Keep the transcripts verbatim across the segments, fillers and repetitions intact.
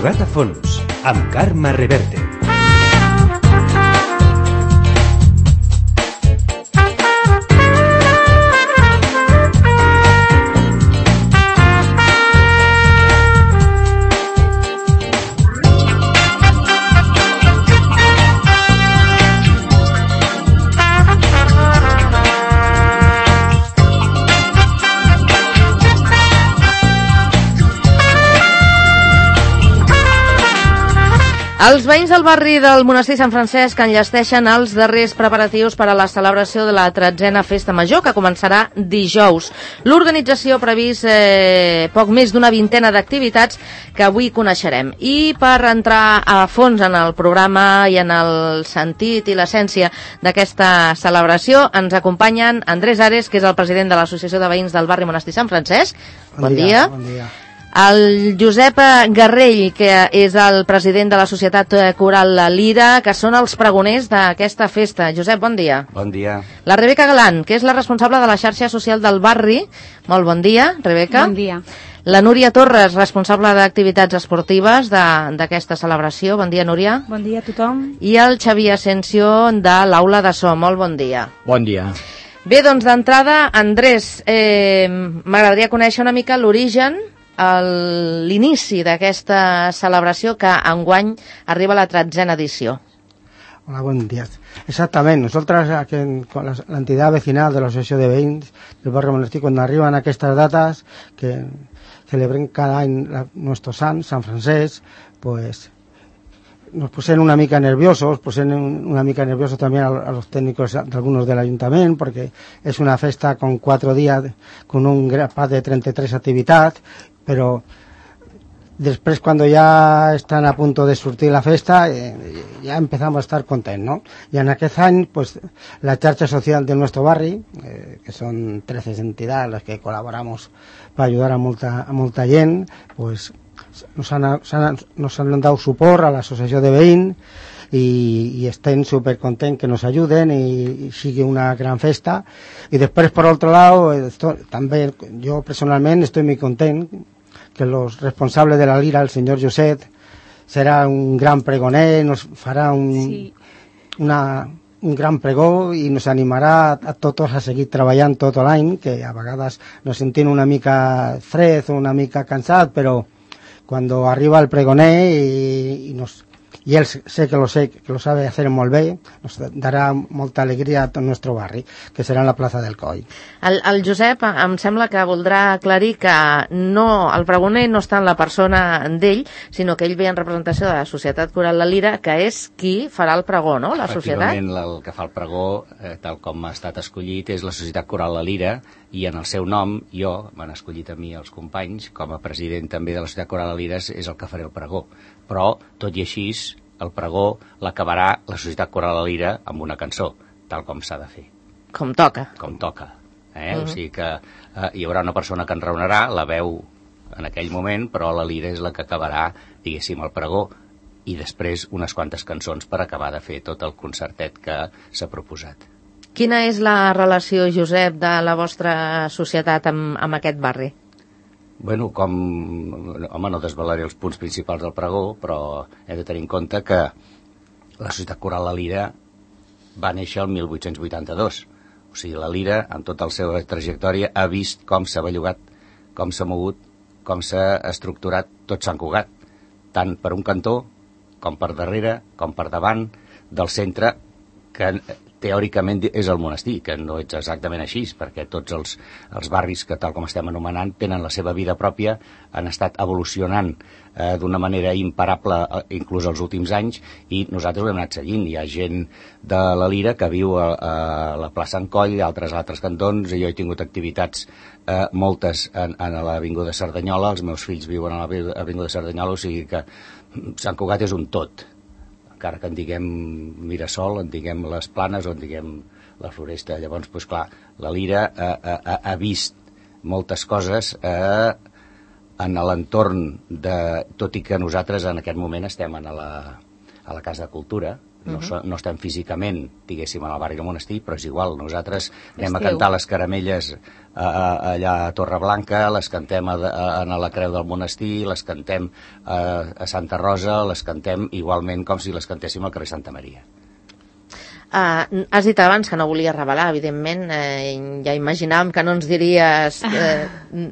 Jugat a fons, amb Carme Reverte. Els veïns del barri del Monestir Sant Francesc enllesteixen els darrers preparatius per a la celebració de la tretzena Festa Major, que començarà dijous. L'organització ha previst eh, poc més d'una vintena d'activitats que avui coneixerem. I per entrar a fons en el programa i en el sentit i l'essència d'aquesta celebració, ens acompanyen Andrés Ares, que és el president de l'Associació de Veïns del barri Monestir Sant Francesc. Bon, bon dia. Bon dia. El Josep Garrell, que és el president de la Societat Coral La Lira, que són els pregoners d'aquesta festa. Josep, bon dia. Bon dia. La Rebeca Galán, que és la responsable de la xarxa social del barri. Molt bon dia, Rebeca. Bon dia. La Núria Torres, responsable d'activitats esportives d'aquesta celebració. Bon dia, Núria. Bon dia a tothom. I el Xavier Asensio, de l'Aula de So. Molt bon dia. Bon dia. Bé, doncs d'entrada, Andrés, eh, m'agradaria conèixer una mica l'origen, l'inici d'aquesta celebració que enguany arriba a la tretzena edició. Hola, buen día. Exactamente, nosotros aquí en, con la, la entidad vecinal de la Asociación de Veïns del barrio Monestir, cuando arriban aquestes datas que celebren cada any la, nuestro sant, Sant Francesc, pues nos posen una mica nerviosos, posen una mica nerviosos también a, a los técnicos de algunos del ayuntamiento, porque es una festa con cuatro días, con un grapat de trenta y tres actividades, però després quan ja estan a punt de sortir la festa eh, ja empezamos a estar contents, ¿no? Y en aquest any pues la xarxa social de nuestro barri, eh, que son trece entidades las que colaboramos para ayudar a molta, a molta gent, pues nos han, han, nos han dado suport a l'associació de veïns i, i estem supercontents que nos ayuden y, y sigue una gran festa. Y después, por otro lado, esto, también yo personalmente estoy muy contento que los responsables de la Lira, el señor Josep, será un gran pregoner, nos farà un, sí. una, un gran pregó i nos animarà a tots a seguir treballant tot l'any, que a vegades nos sentim una mica fred o una mica cansat, però quan arriba el pregoner i, i nos y él sé que lo sé, que lo sabe hacer molt bé, nos darà molta alegria a tot el nostre barri, que serà en la plaça del Coll. El, el Josep em sembla que voldrà aclarir que no, el pregoner no està en la persona d'ell, sinó que ell ve en representació de la Societat Coral La Lira, que és qui farà el pregó, no?, la societat? Efectivament, el que fa el pregó, eh, tal com ha estat escollit, és la Societat Coral La Lira, i en el seu nom, jo, m'han escollit a mi els companys, com a president també de la Societat Coral La Lira, és el que faré el pregó. Però, tot i així, el pregó l'acabarà la Societat Coral La Lira amb una cançó, tal com s'ha de fer. Com toca. Com toca. Eh? Uh-huh. O sigui que eh, hi haurà una persona que enraonarà, la veu en aquell moment, però la Lira és la que acabarà, diguéssim, el pregó, i després unes quantes cançons per acabar de fer tot el concertet que s'ha proposat. Quina és la relació, Josep, de la vostra societat amb, amb aquest barri? Bueno, com... Home, no desvelaré els punts principals del pregó, però he de tenir en compte que la Societat Coral La Lira va néixer el mil vuit-cents vuitanta-dos. O sigui, la Lira, en tota la seva trajectòria, ha vist com s'ha bellugat, com s'ha mogut, com s'ha estructurat tot Sant Cugat, tant per un cantó, com per darrere, com per davant, del centre, que teòricament és el monestir, que no és exactament així, perquè tots els, els barris que, tal com estem anomenant, tenen la seva vida pròpia, han estat evolucionant eh, d'una manera imparable, eh, inclús els últims anys, i nosaltres ho hem anat seguint. Hi ha gent de la Lira que viu a, a la plaça en Coll, altres altres cantons, i jo he tingut activitats, eh, moltes en, en l'Avinguda Cerdanyola, els meus fills viuen a l'Avinguda Cerdanyola, o sigui que Sant Cugat és un tot. Encara que en diguem Mirasol, en diguem les Planes o en diguem la Floresta. Llavors, doncs clar, la Lira ha, ha, ha vist moltes coses eh, en l'entorn de... Tot i que nosaltres en aquest moment estem a la, a la Casa de Cultura, no, Uh-huh. no estem físicament, diguéssim, en el barri del monestir, però és igual, nosaltres anem Esteu. a cantar les caramelles a, a, allà a Torreblanca, les cantem a, a, a la Creu del Monestir, les cantem a, a Santa Rosa, les cantem igualment com si les cantéssim al carrer Santa Maria. Uh, has dit abans que no volies revelar, evidentment, eh, ja imaginàvem que no ens diries eh,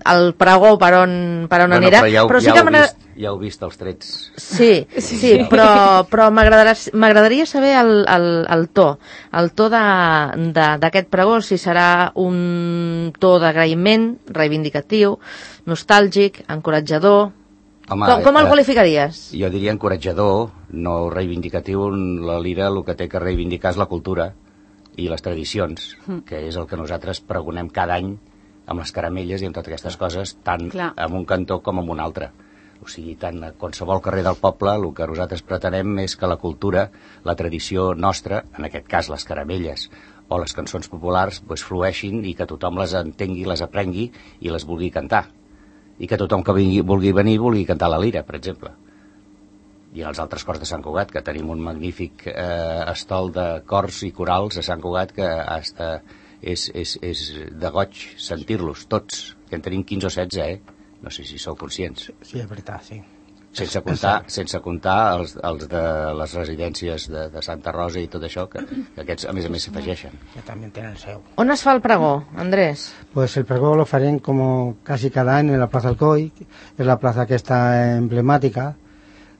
el pregó per on, per on Bueno, anirà. però ja, ho- però sí ja, que heu m'agrada- vist, ja heu vist els trets. Sí, sí, sí, però, però m'agradarà- m'agradaria saber el, el, el to, el to de- de- d'aquest pregó, si serà un to d'agraïment, reivindicatiu, nostàlgic, encoratjador. Home, com, com el eh, qualificaries? Jo diria encoratjador, no reivindicatiu. La lira el que té que reivindicar és la cultura i les tradicions, que és el que nosaltres pregonem cada any amb les caramelles i amb totes aquestes coses, tant Clar. en un cantó com en un altre. O sigui, tant a qualsevol carrer del poble, el que nosaltres pretenem és que la cultura, la tradició nostra, en aquest cas les caramelles o les cançons populars, pues, flueixin i que tothom les entengui, les aprengui i les vulgui cantar. I que tothom que vingui, vulgui venir vulgui cantar la lira, per exemple. I en els altres cors de Sant Cugat, que tenim un magnífic eh, estol de cors i corals a Sant Cugat que hasta és, és, és de goig sentir-los, tots, que en tenim quinze o setze, eh? No sé si sou conscients. Sí, és veritat, sí. Sense comptar, sense comptar els, els de les residències de, de Santa Rosa i tot això, que, que aquests a més a més s'afegeixen. Que també tenen el seu. On es fa el pregó, Andrés? Pues el pregó lo farem como casi cada año en la Plaza Alcoy, es la plaza que está emblemática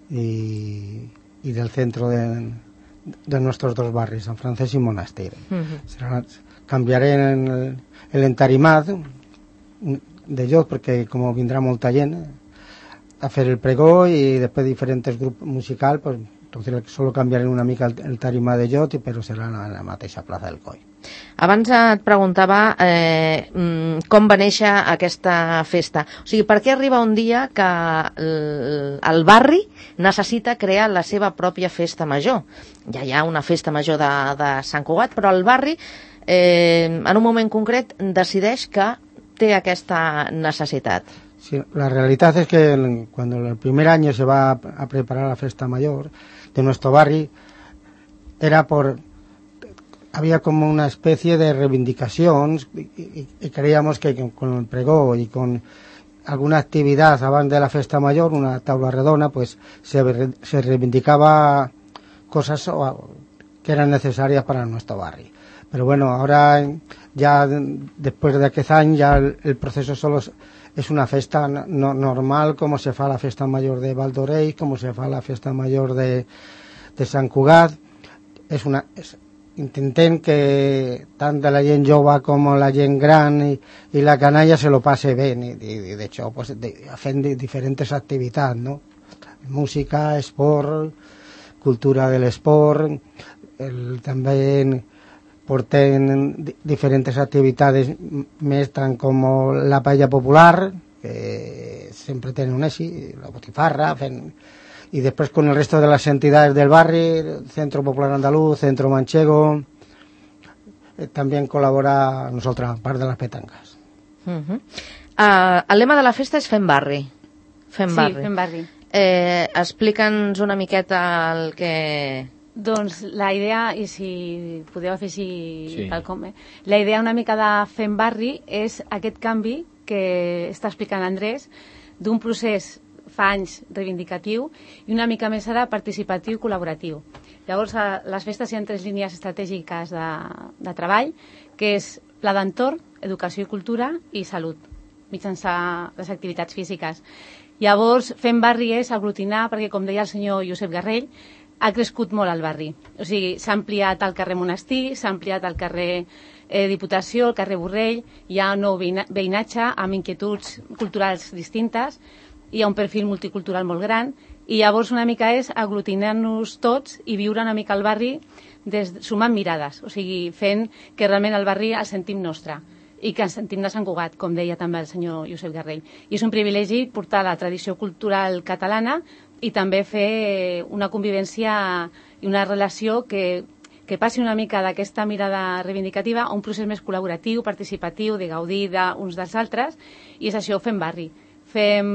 y, y del centro de, de nuestros dos barrios, San Francés y Monaster. Uh-huh. Será, cambiaré en el, el entarimat de Llot, porque como vendrá molta gent a fer el pregó y después diferentes grupos musical, pues entonces solo cambiaré una mica el, el tarimat de Llot, però serà en la, la mateixa Plaza del Coi. Abans et preguntava eh, mm, com va néixer aquesta festa. O sigui, per què arriba un dia que el, el barri necessita crear la seva pròpia festa major? Ja hi ha una festa major de, de Sant Cugat, però el barri eh, en un moment concret decideix que té aquesta necessitat. Sí, la realidad es que el, cuando el primer año se va a, a preparar la fiesta mayor de nuestro barrio, era por... había como una especie de reivindicación y, y, y creíamos que con el pregó y con alguna actividad abans de la fiesta mayor, una taula redona, pues se, se reivindicaba cosas que eran necesarias para nuestro barrio. Pero bueno, ahora ya después de aquel año ya el, el proceso solo es, es una festa no, normal, como se fa la fiesta mayor de Valdoreix, como se fa la fiesta mayor de, de Sant Cugat. Es una... Es, intentem que tant de la gent jove com la gent gran i, i la canalla se lo pase bé i, i de hecho pues, de, fent diferents activitats, no? Música, esport, cultura de l'esport, el, també porten diferents activitats més tant com la paella popular, que sempre tenen un èxit, la botifarra, fent... y después con el resto de las entidades del barrio, Centro Popular Andaluz, Centro Manchego, eh, también colabora nosotros, part de las petancas. Uh-huh. uh, el lema de la festa és Fem Barri. Fem Sí, Barri. fem barri. Eh, Explica'ns una miqueta el que... Doncs la idea, i si podeu afegir Sí. pel com, eh? La idea una mica de Fem Barri és aquest canvi que està explicant Andrés, d'un procés fa anys reivindicatiu i una mica més ara participatiu i col·laboratiu. Llavors, a les festes hi ha tres línies estratègiques de, de treball, que és pla d'entorn, educació i cultura i salut, mitjançant les activitats físiques. Llavors, Fem Barri és aglutinar, perquè com deia el senyor Josep Garrell, ha crescut molt el barri. O sigui, s'ha ampliat al carrer Monestir, s'ha ampliat al carrer eh, Diputació, al carrer Borrell, hi ha un nou veïnatge amb inquietuds culturals distintes, hi ha un perfil multicultural molt gran i llavors una mica és aglutinar-nos tots i viure una mica al barri des, sumant mirades, o sigui, fent que realment el barri el sentim nostre i que ens sentim de Sant Cugat, com deia també el senyor Josep Garrell. I és un privilegi portar la tradició cultural catalana i també fer una convivència i una relació que, que passi una mica d'aquesta mirada reivindicativa a un procés més col·laboratiu, participatiu, de gaudir d'uns dels altres, i és això, Fem Barri. fem,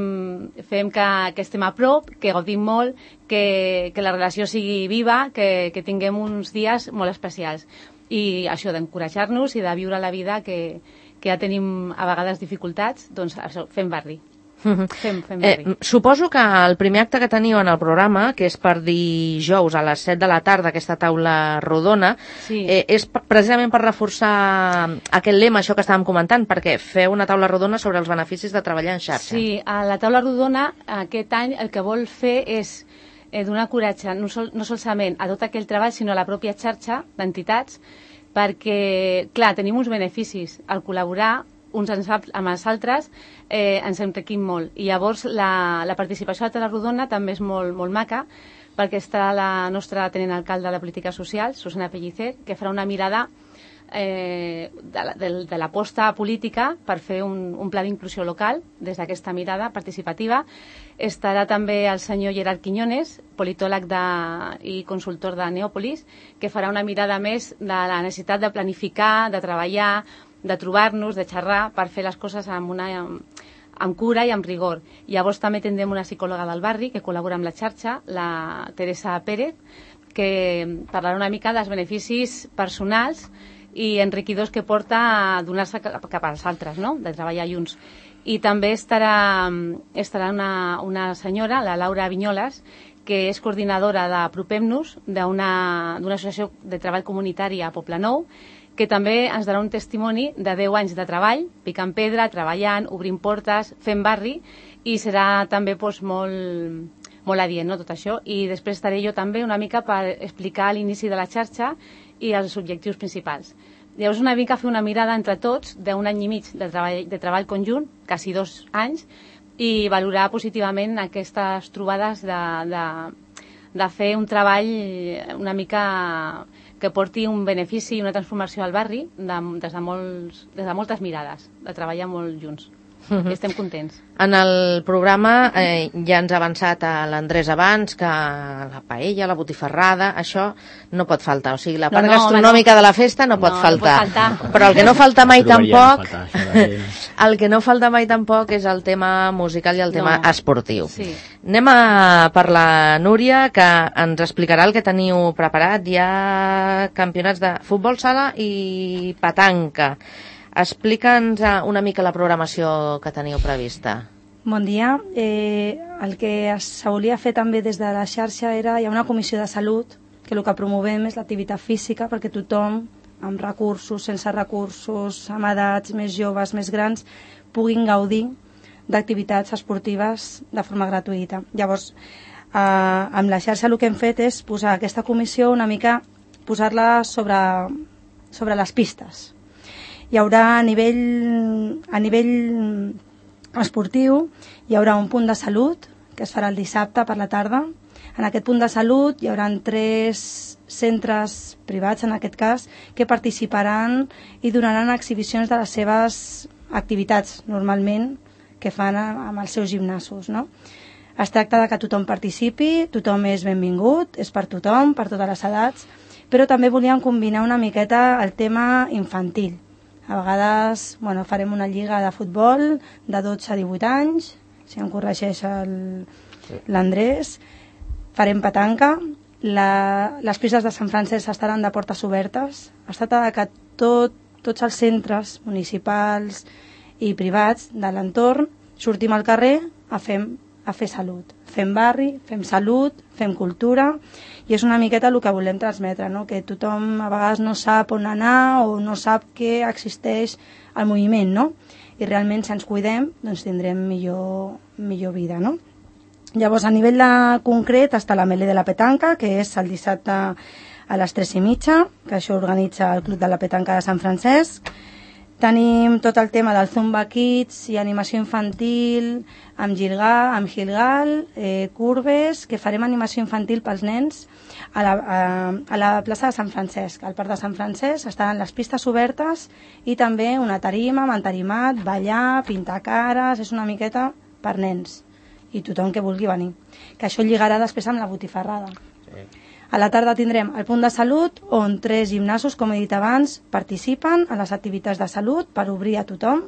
fem que, que estem a prop, que gaudim molt, que, que la relació sigui viva, que, que tinguem uns dies molt especials. I això d'encoratjar-nos i de viure la vida que, que ja tenim a vegades dificultats, doncs això, fem barri. Fem, fem eh, suposo que el primer acte que teniu en el programa, que és per dijous a les set de la tarda, aquesta taula rodona, sí. eh, és precisament per reforçar aquest lema, això que estàvem comentant, perquè feu una taula rodona sobre els beneficis de treballar en xarxa. Sí, a la taula rodona aquest any el que vol fer és eh, donar coratge no, sol, no solament a tot aquell treball, sinó a la pròpia xarxa d'entitats, perquè, clar, tenim uns beneficis al col·laborar uns amb els altres, eh, ens enriquim molt. I llavors la, la participació a la taula rodona també és molt, molt maca, perquè està la nostra tenent alcalde de la política social, Susana Pellicer, que farà una mirada eh, de, la, de, de l'aposta política per fer un, un pla d'inclusió local des d'aquesta mirada participativa. Estarà també el senyor Gerard Quiñones, politòleg de, i consultor de Neòpolis, que farà una mirada més de la necessitat de planificar, de treballar, de trobar-nos, de xerrar, per fer les coses amb, una, amb, amb cura i amb rigor. Llavors també tindrem una psicòloga del barri que col·labora amb la xarxa, la Teresa Pérez, que parlarà una mica dels beneficis personals i enriquidors que porta a donar-se cap als altres, no? De treballar junts. I també estarà, estarà una, una senyora, la Laura Vinyoles, que és coordinadora d'Apropem-nos, d'una associació de treball comunitari a Poblenou, que també ens donarà un testimoni de deu anys de treball, picant pedra, treballant, obrint portes, fent barri, i serà també doncs, molt, molt adient, no, tot això. I després estaré jo també una mica per explicar l'inici de la xarxa i els objectius principals. Llavors una mica fer una mirada entre tots d'un any i mig de treball, de treball conjunt, quasi dos anys, i valorar positivament aquestes trobades de, de, de fer un treball una mica que porti un benefici i una transformació al barri de, des, de molts, des de moltes mirades, de treballar molt junts. Uh-huh. I estem contents. En el programa eh, ja ens ha avançat a l'Andrés abans que la paella, la botifarrada, això no pot faltar. O sigui, la part no, no, gastronòmica no. de la festa no, no pot faltar. No pot faltar. Però el que no falta mai tampoc el que no falta mai tampoc és el tema musical i el tema no. esportiu. Sí. Anem a per la Núria, que ens explicarà el que teniu preparat. Hi ha campionats de futbol sala i petanca. Explica'ns una mica la programació que teniu prevista. Bon dia. Eh, el que es volia fer també des de la xarxa era, hi ha una comissió de salut, que el que promovem és l'activitat física perquè tothom, amb recursos, sense recursos, amb edats més joves, més grans, puguin gaudir d'activitats esportives de forma gratuïta. Llavors, eh, amb la xarxa el que hem fet és posar aquesta comissió una mica, posar-la sobre, sobre les pistes. Hi haurà a nivell, a nivell esportiu, hi haurà un punt de salut, que es farà el dissabte per la tarda. En aquest punt de salut hi haurà tres centres privats, en aquest cas, que participaran i donaran exhibicions de les seves activitats, normalment, que fan amb els seus gimnasos, no? Es tracta de que tothom participi, tothom és benvingut, és per tothom, per totes les edats, però també volíem combinar una miqueta el tema infantil. A vegades bueno, farem una lliga de futbol de dotze a divuit anys, si em corregeix l'Andrés, farem petanca, la, les pistes de Sant Francesc estaran de portes obertes, es tracta que tot, tots els centres municipals i privats de l'entorn sortim al carrer a fer, a fer salut. Fem barri, fem salut, fem cultura, i és una miqueta el que volem transmetre, no? Que tothom a vegades no sap on anar o no sap que existeix el moviment, no? I realment si ens cuidem doncs tindrem millor, millor vida, no? Llavors a nivell de concret està la Melé de la Petanca, que és el dissabte a les tres i mitja, que això organitza el Club de la Petanca de Sant Francesc. Tenim tot el tema del Zumba Kids i animació infantil amb Gilgal, amb Gilgal eh, Curves, que farem animació infantil pels nens a la, a, a la plaça de Sant Francesc. Al Parc de Sant Francesc estaran les pistes obertes i també una tarima amb entarimat, ballar, pintar cares, és una miqueta per nens i tothom que vulgui venir. Que això lligarà després amb la botifarrada. Sí. A la tarda tindrem el punt de salut on tres gimnasos, com he dit abans, participen a les activitats de salut per obrir a tothom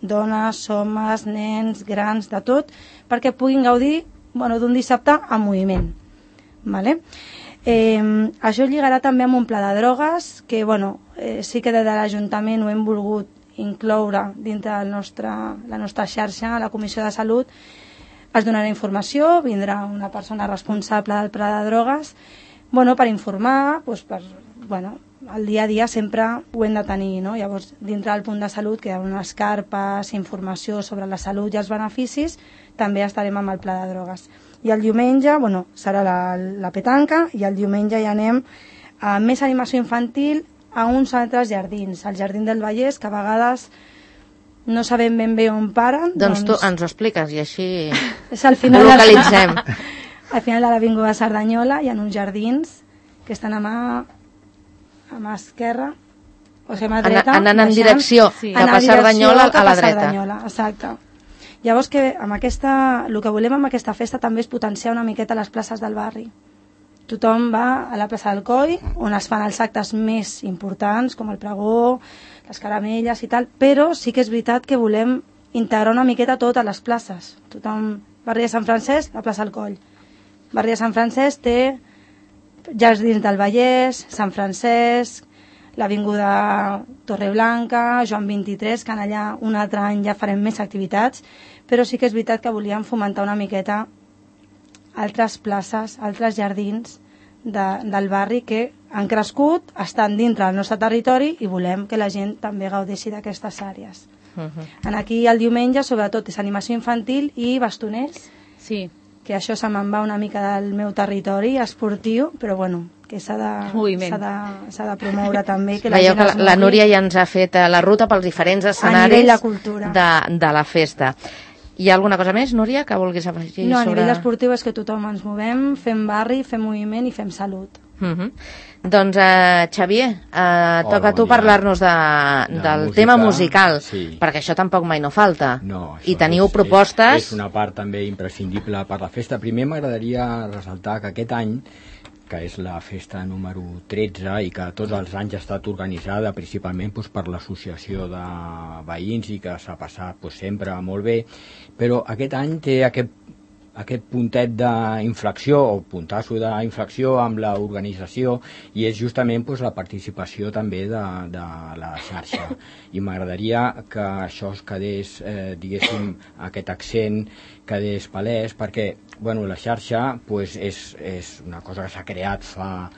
dones, homes, nens, grans, de tot, perquè puguin gaudir bueno, d'un dissabte en moviment. Vale? Eh, això lligarà també amb un pla de drogues que bueno, eh, sí que des de l'Ajuntament ho hem volgut incloure dintre del nostre, la nostra xarxa, a la Comissió de Salut. Es donarà informació, vindrà una persona responsable del pla de drogues bueno, per informar, doncs per, bueno, el dia a dia sempre ho hem de tenir, no? Llavors, dintre del punt de salut, que hi ha unes carpes, informació sobre la salut i els beneficis, també estarem amb el pla de drogues. I el diumenge, bueno, serà la, la petanca, i el diumenge ja anem a més animació infantil a uns altres jardins, al Jardí del Vallès, que a vegades no sabem ben bé on paren. Doncs, doncs tu ens ho expliques i així és al final ho localitzem. De, al final de l'Avinguda Cerdanyola hi ha uns jardins que estan a mà, a mà esquerra, o sigui, a mà dreta. Anant en direcció sí. cap a Cerdanyola a la dreta. Cerdanyola, exacte. Llavors, que amb aquesta, el que volem amb aquesta festa també és potenciar una miqueta les places del barri. Tothom va a la plaça del Coll, on es fan els actes més importants, com el pregó, les caramelles i tal, però sí que és veritat que volem integrar una miqueta totes les places. Tothom, barri de Sant Francesc, la plaça del Coll. Barri de Sant Francesc té Jardins del Vallès, Sant Francesc, l'Avinguda Torreblanca, Joan vint-i-tres, que en allà un altre any ja farem més activitats, però sí que és veritat que volíem fomentar una miqueta altres places, altres jardins de, del barri que han crescut, estan dintre del nostre territori i volem que la gent també gaudeixi d'aquestes àrees. Uh-huh. En aquí el diumenge sobretot és animació infantil i bastoners, sí. que això se me'n va una mica del meu territori esportiu, però bueno, que s'ha de, s'ha de, s'ha de promoure també. Que la Veieu gent que la, la Núria ja ens ha fet la ruta pels diferents escenaris de, de, de la festa. Hi ha alguna cosa més, Núria, que vulguis afegir? No, a sobre... nivell esportiu és que tothom ens movem, fem barri, fem moviment i fem salut. Uh-huh. Doncs, uh, Xavier, uh, oh, toca a tu bon parlar-nos de, de del música, tema musical, sí. perquè això tampoc mai no falta. No, I teniu és, propostes... És, és una part també imprescindible per la festa. Primer m'agradaria ressaltar que aquest any, que és la festa número tretze i que tots els anys ha estat organitzada principalment doncs, per l'associació de veïns i que s'ha passat doncs, sempre molt bé, però aquest any té aquest, aquest puntet d'inflexió o puntasso d'inflexió amb l'organització i és justament doncs, la participació també de, de la xarxa i m'agradaria que això es quedés, eh, diguéssim, aquest accent quedés palès perquè bueno, la xarxa pues, és, és una cosa que s'ha creat fa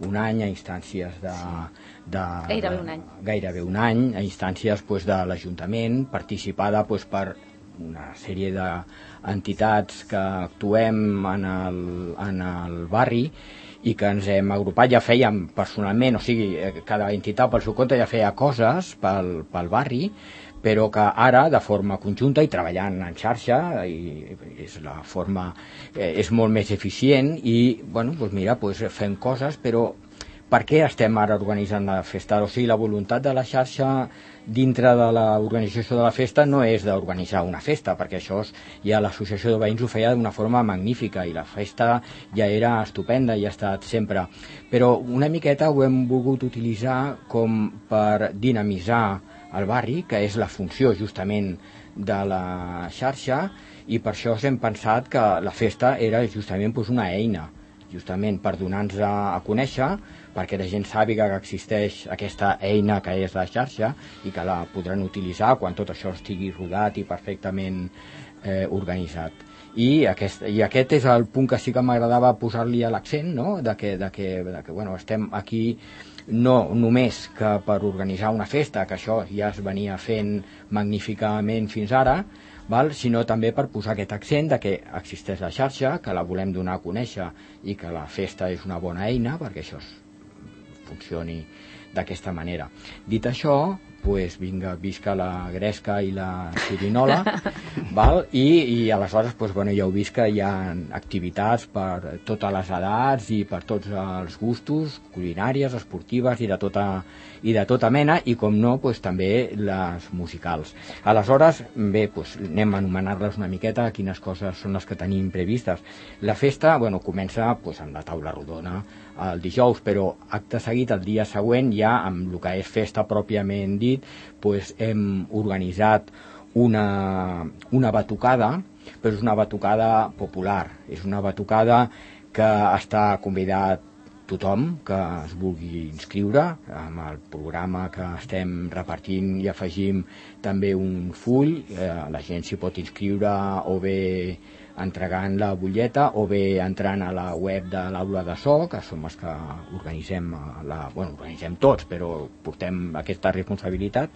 un any a instàncies de... de gairebé un any. Gairebé un any, a instàncies pues, de l'Ajuntament, participada pues, per una sèrie d'entitats que actuem en el, en el barri i que ens hem agrupat, ja fèiem personalment, o sigui, cada entitat pel seu compte ja feia coses pel, pel barri, però que ara, de forma conjunta i treballant en xarxa, i és la forma, eh, és molt més eficient i, bueno, doncs mira, doncs fem coses, però per què estem ara organitzant la festa? O sigui, la voluntat de la xarxa dintre de l'organització de la festa no és d'organitzar una festa, perquè això ja l'associació de veïns ho feia d'una forma magnífica i la festa ja era estupenda i ha estat sempre. Però una miqueta ho hem volgut utilitzar com per dinamitzar el barri, que és la funció justament de la xarxa, i per això hem pensat que la festa era justament doncs, una eina, justament per donar-nos a, a conèixer, perquè la gent sàpiga que existeix aquesta eina que és la xarxa i que la podran utilitzar quan tot això estigui rodat i perfectament eh, organitzat. I aquest, I aquest és el punt que sí que m'agradava posar-li a l'accent, no? de que, de que, de que bueno, estem aquí no només que per organitzar una festa, que això ja es venia fent magníficament fins ara, val? Sinó també per posar aquest accent de que existeix la xarxa, que la volem donar a conèixer i que la festa és una bona eina perquè això funcioni d'aquesta manera. Dit això, pues vinga, visca la gresca i la xirinola, val? I, i aleshores pues, bueno, ja heu vist que hi ha activitats per totes les edats i per tots els gustos, culinàries, esportives i de tota, i de tota mena, i com no, pues, també les musicals. Aleshores, bé, pues, anem a anomenar-les una miqueta, quines coses són les que tenim previstes. La festa, bueno, comença pues, amb la taula rodona el dijous, però acte seguit, el dia següent, ja amb el que és festa pròpiament dit, pues, hem organitzat una, una batucada, però és una batucada popular, és una batucada que està convidat tothom que es vulgui inscriure. Amb el programa que estem repartint i afegim també un full, eh, la gent s'hi pot inscriure o bé entregant la butlleta o bé entrant a la web de l'aula de so, que som els que organitzem, la, bueno, organitzem tots, però portem aquesta responsabilitat.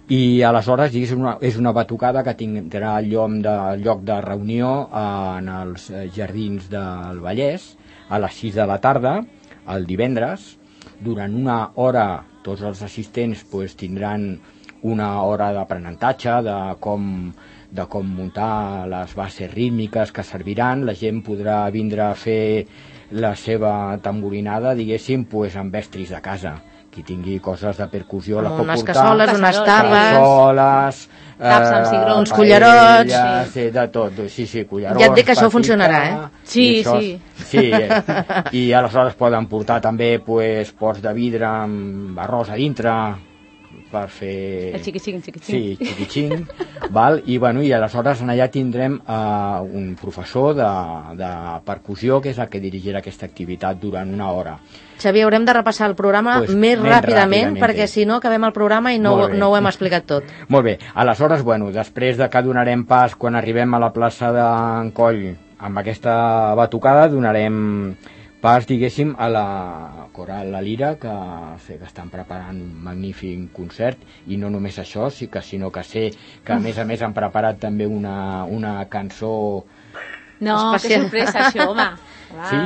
I aleshores és una, és una batucada que tindrà el lloc de, lloc de reunió en els Jardins del Vallès a les sis de la tarda, el divendres. Durant una hora tots els assistents pues, tindran una hora d'aprenentatge de com, de com muntar les bases rítmiques que serviran. La gent podrà vindre a fer la seva tamborinada, diguéssim, pues, amb estris de casa. Qui tingui coses de percussió la pot portar. Unes cassoles, unes tapes, cassoles, taps amb cigrons, uns cullerots, paelles, sí. De tot, sí, sí, cullerons. Ja et dic que això funcionarà, eh? Sí, això, sí. Sí, eh? I aleshores poden portar també pues, pots de vidre amb arròs a dintre per fer... El xiquixing, xiquixing. Sí, xiquixing, val? I, bueno, i aleshores allà tindrem uh, un professor de, de percussió que és el que dirigirà aquesta activitat durant una hora. Xavier, haurem de repassar el programa Pues, més més ràpidament, ràpidament, perquè si no acabem el programa i no, no ho hem explicat tot. Molt bé, aleshores, bueno, després de que donarem pas, quan arribem a la plaça d'en Coll, amb aquesta batucada, donarem pas, diguéssim, a la Coral La Lira, que sé que estan preparant un magnífic concert, i no només això, sí que, sinó que sé que a més a més han preparat també una, una cançó... No, especial. que sorpresa, això, home. Va. Sí?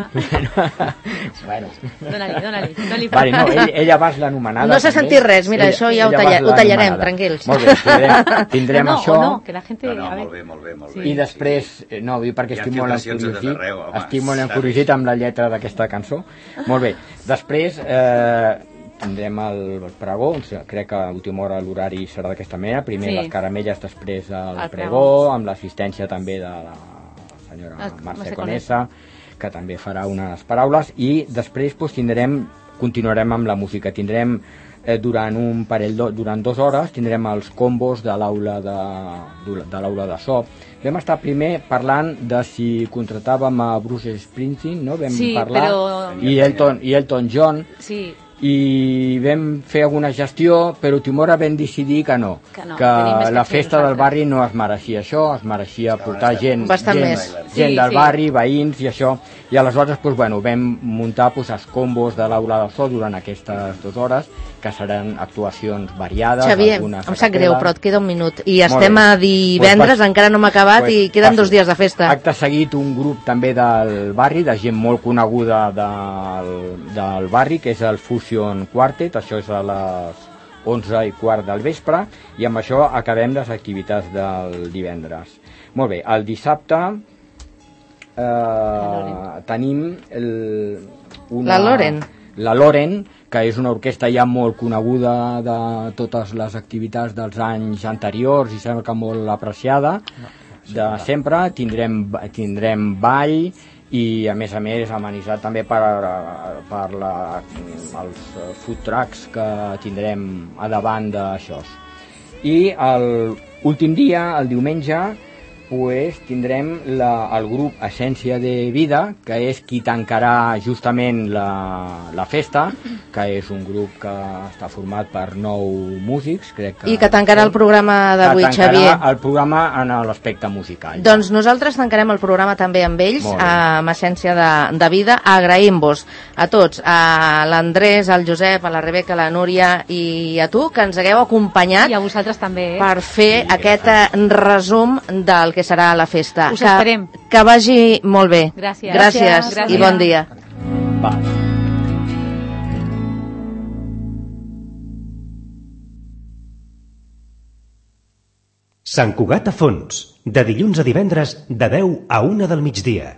Bueno. Dóna-li, dóna-li. dóna-li Vale, no, ell, ella va ser l'anomenada. No s'ha també. sentit res, mira, Ella- això ja ho, ella talla, va ser ho tallarem, l'anomenada. tranquils. Molt bé, tindrem, tindrem no, això. o no, que la gente... No, no, a ver. molt bé, molt bé, molt Sí. bé. I després, eh, no, vull dir perquè Hi ha estic molt filtracions de tot encuriosit, arreu, home, estic molt saps? encuriosit amb la lletra d'aquesta cançó. Molt bé, després eh, tindrem el pregó, o sigui, crec que a última hora l'horari serà d'aquesta manera, primer Sí. les caramelles, després el, El pregó, pregó. amb l'assistència també de la senyora El- Mercè Mercè Conesa, que també farà unes paraules, i després doncs, tindrem, continuarem amb la música, tindrem eh, durant un parell de, durant dues hores tindrem els combos de l'aula de, de l'aula de so. Vam estar primer parlant de si contratàvem a Bruce Springsteen, no? Vam Sí, parlar, però- i Elton, i Elton John, Sí, i vam fer alguna gestió, però a última hora vam decidir que no, Que no, que tenim més que la fer festa del nosaltres. barri no es mereixia això, es mereixia portar gent, Bastant gent, més. gent Sí, del sí. barri, veïns i això, i aleshores doncs, bueno, vam muntar doncs, els combos de l'aula del so durant aquestes dues hores, que seran actuacions variades. Xavier, algunes em a sap greu, capella. però et queda un minut. I Molt estem bé. a divendres, Pues, encara no hem acabat pues, i queden passo. dos dies de festa. Acte seguit, un grup també del barri, de gent molt coneguda del, del barri, que és el Fusion Quartet, això és a les onze i quart del vespre, i amb això acabem les activitats del divendres. Molt bé, el dissabte eh, tenim el, una, La Loren. La Loren, que és una orquestra ja molt coneguda de totes les activitats dels anys anteriors i sembla que molt apreciada de sempre. Tindrem, tindrem ball i a més a més amenitzat també per, per la, els food trucks que tindrem a davant d'això. I l'últim dia, el diumenge, pues, tindrem la, el grup Essència de Vida, que és qui tancarà justament la, la festa, que és un grup que està format per nou músics, crec que... I que tancarà el programa d'avui, que tancarà Xavier. el programa en l'aspecte musical. Doncs nosaltres tancarem el programa també amb ells, Molt bé. amb Essència de, de Vida. Agraïm-vos a tots, a l'Andrés, al Josep, a la Rebeca, a la Núria i a tu, que ens hagueu acompanyat i a vosaltres també, eh? per fer aquest eh, resum del que serà la festa. Us que, esperem. que vagi molt bé. Gràcies. Gràcies, Gràcies. i bon dia. Va. Sant Cugat a Fons, de dilluns a divendres, de deu a una del migdia.